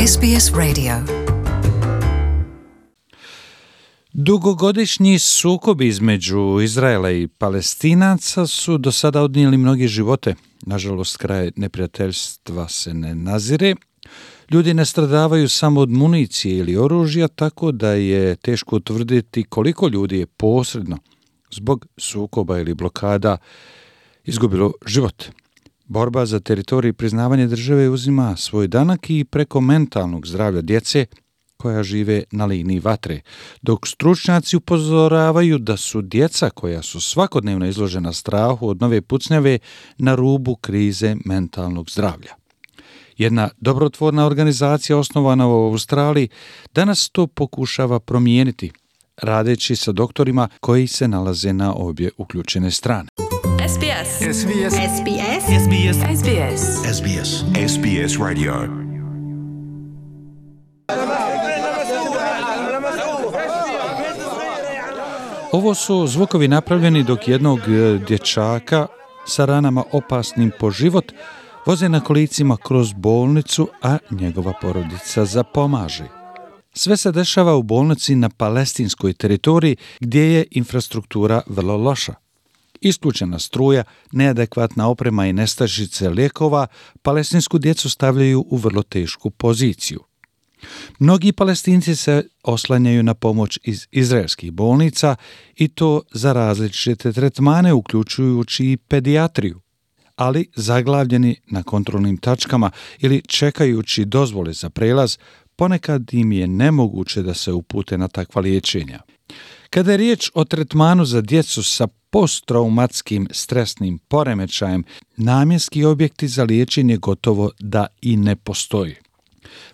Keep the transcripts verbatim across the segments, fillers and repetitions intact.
S B S Radio. Dugogodišnji sukobi između Izraela i Palestinaca su do sada odnijeli mnoge živote. Nažalost, kraj neprijateljstva se ne nazire. Ljudi ne stradavaju samo od municije ili oružja, tako da je teško utvrditi koliko ljudi je posredno zbog sukoba ili blokada izgubilo život. Borba za teritorij i priznavanje države uzima svoj danak i preko mentalnog zdravlja djece koja žive na liniji vatre, dok stručnjaci upozoravaju da su djeca koja su svakodnevno izložena strahu od nove pucnjave na rubu krize mentalnog zdravlja. Jedna dobrotvorna organizacija osnovana u Australiji danas to pokušava promijeniti, radeći sa doktorima koji se nalaze na obje uključene strane. S B S. S B S. S B S. S B S. S B S. S B S. S B S Radio. Ovo su zvukovi napravljeni dok jednog dječaka sa ranama opasnim po život voze na kolicima kroz bolnicu, a njegova porodica zapomaže. Sve se dešava u bolnici na palestinskoj teritoriji gdje je infrastruktura vrlo loša. Isključena struja, neadekvatna oprema i nestašice lijekova palestinsku djecu stavljaju u vrlo tešku poziciju. Mnogi Palestinci se oslanjaju na pomoć iz izraelskih bolnica i to za različite tretmane, uključujući i pedijatriju, ali zaglavljeni na kontrolnim tačkama ili čekajući dozvole za prelaz, ponekad im je nemoguće da se upute na takva liječenja. Kada je riječ o tretmanu za djecu sa posttraumatskim stresnim poremećajem, namjenski objekti za liječenje gotovo da i ne postoji.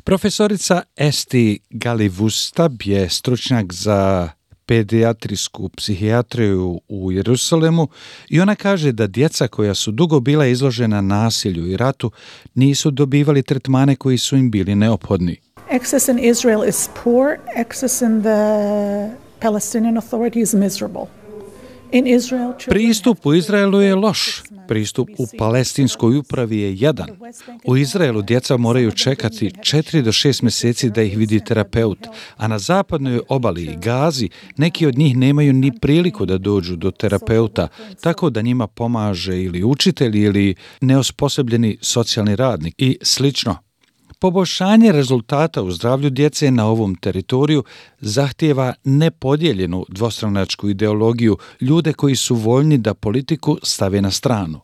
Profesorica Esti Galivustab je stručnjak za pedijatrijsku psihijatriju u Jerusalemu i ona kaže da djeca koja su dugo bila izložena nasilju i ratu nisu dobivali tretmane koji su im bili neophodni. Access in Israel is poor. Access in the Palestinian Authority is miserable. In Israel, Pristup u Izraelu je loš. Pristup u palestinskoj upravi je jadan. U Izraelu djeca moraju čekati četiri do šest mjeseci da ih vidi terapeut, a na zapadnoj obali i Gazi neki od njih nemaju ni priliku da dođu do terapeuta, tako da njima pomaže ili učitelj ili neosposobljeni socijalni radnik i slično. Poboljšanje rezultata u zdravlju djece na ovom teritoriju zahtijeva nepodijeljenu dvostranačku ideologiju, ljude koji su voljni da politiku stave na stranu.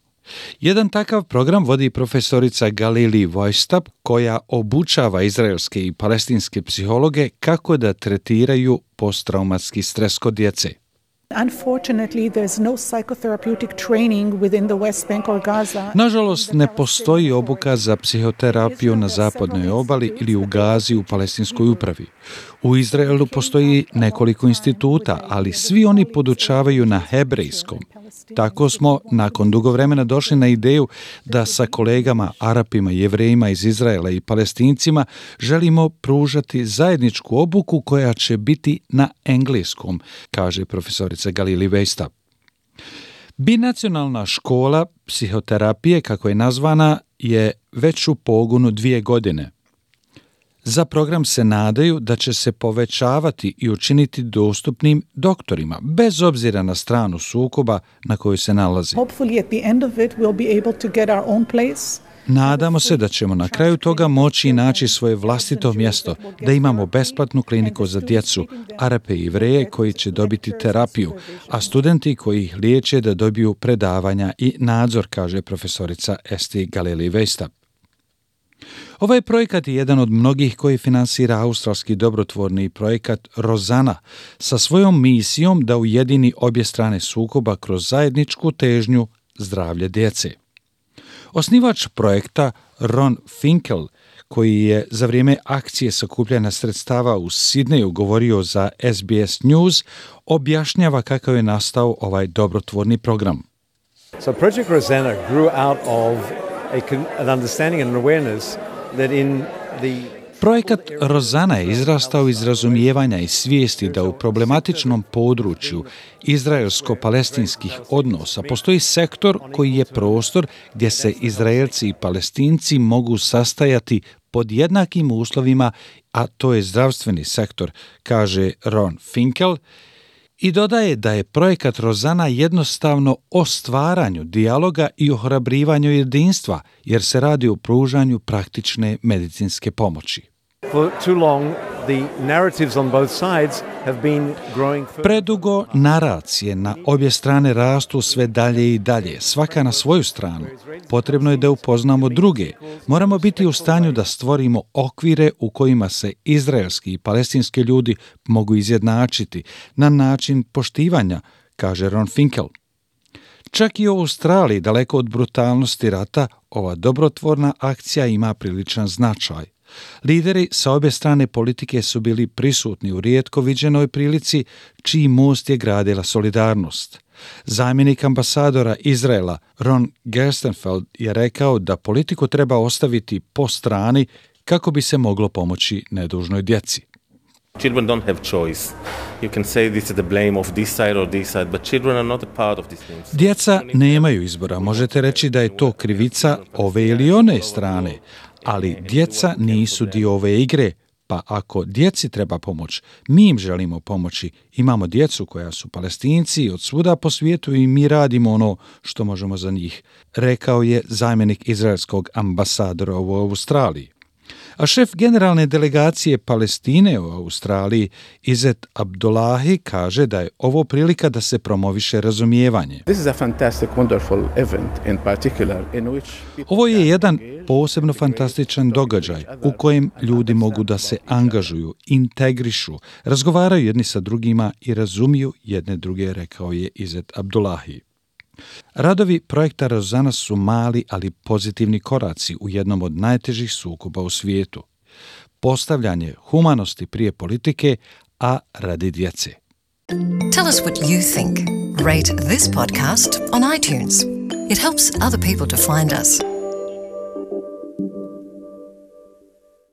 Jedan takav program vodi profesorica Galili Weistab, koja obučava izraelske i palestinske psihologe kako da tretiraju posttraumatski stres kod djece. Unfortunately, there's no psychotherapeutic training within the West Bank or Gaza. Nažalost, ne postoji obuka za psihoterapiju na zapadnoj obali ili u Gazi u palestinskoj upravi. U Izraelu postoji nekoliko instituta, ali svi oni podučavaju na hebrejskom. Tako smo nakon dugo vremena došli na ideju da sa kolegama, Arapima, Jevrejima iz Izraela i Palestincima želimo pružati zajedničku obuku koja će biti na engleskom, kaže profesorica Galili Weistab. Binacionalna škola psihoterapije, kako je nazvana, je već u pogonu dvije godine. Za program se nadaju da će se povećavati i učiniti dostupnim doktorima, bez obzira na stranu sukoba na kojoj se nalazi. Hopefully at the end of it we'll be able to get our own place. Nadamo se da ćemo na kraju toga moći naći svoje vlastito mjesto, da imamo besplatnu kliniku za djecu, Arape i Jevreje koji će dobiti terapiju, a studenti koji ih liječe da dobiju predavanja i nadzor, kaže profesorica Esti Galili Weistab. Ovaj projekat je jedan od mnogih koji finansira australski dobrotvorni projekat Rozana sa svojom misijom da ujedini obje strane sukoba kroz zajedničku težnju zdravlje djece. Osnivač projekta Ron Finkel, koji je za vrijeme akcije sakupljanja sredstava u Sidneju govorio za S B S News, objašnjava kako je nastao ovaj dobrotvorni program. So Project Rosanna grew out of a, an understanding and an awareness that in the Projekat Rozana je izrastao iz razumijevanja i svijesti da u problematičnom području izraelsko-palestinskih odnosa postoji sektor koji je prostor gdje se Izraelci i Palestinci mogu sastajati pod jednakim uslovima, a to je zdravstveni sektor, kaže Ron Finkel, i dodaje da je projekat Rozana jednostavno o stvaranju dijaloga i ohrabrivanju jedinstva, jer se radi o pružanju praktične medicinske pomoći. For too long, the narratives on both sides have been growing further. Predugo naracije na obje strane rastu sve dalje i dalje, svaka na svoju stranu. Potrebno je da upoznamo druge. Moramo biti u stanju da stvorimo okvire u kojima se izraelski i palestinski ljudi mogu izjednačiti na način poštivanja, kaže Ron Finkel. Čak i u Australiji, daleko od brutalnosti rata, ova dobrotvorna akcija ima priličan značaj. Lideri sa obje strane politike su bili prisutni u rijetko viđenoj prilici, čiji most je gradila solidarnost. Zamjenik ambasadora Izraela Ron Gerstenfeld je rekao da politiku treba ostaviti po strani kako bi se moglo pomoći nedužnoj djeci. Children don't have choice. You can say this is the blame of this side or this side, but children are not a part of these things. Djeca nemaju izbora. Možete reći da je to krivica ove ili one strane, ali djeca nisu dio ove igre, pa ako djeci treba pomoć, mi im želimo pomoći. Imamo djecu koja su Palestinci od svuda po svijetu i mi radimo ono što možemo za njih, rekao je zamjenik izraelskog ambasadora u Australiji. A šef generalne delegacije Palestine u Australiji, Izet Abdullahi, kaže da je ovo prilika da se promoviše razumijevanje. This is a fantastic, wonderful event in particular in which Ovo je jedan posebno fantastičan događaj u kojem ljudi mogu da se angažuju, integrišu, razgovaraju jedni sa drugima i razumiju jedne druge, rekao je Izet Abdullahi. Radovi projekta Rozana su mali, ali pozitivni koraci u jednom od najtežih sukoba u svijetu. Postavljanje humanosti prije politike, a radi djece. Tell us what you think. Rate this podcast on iTunes. It helps other people to find us.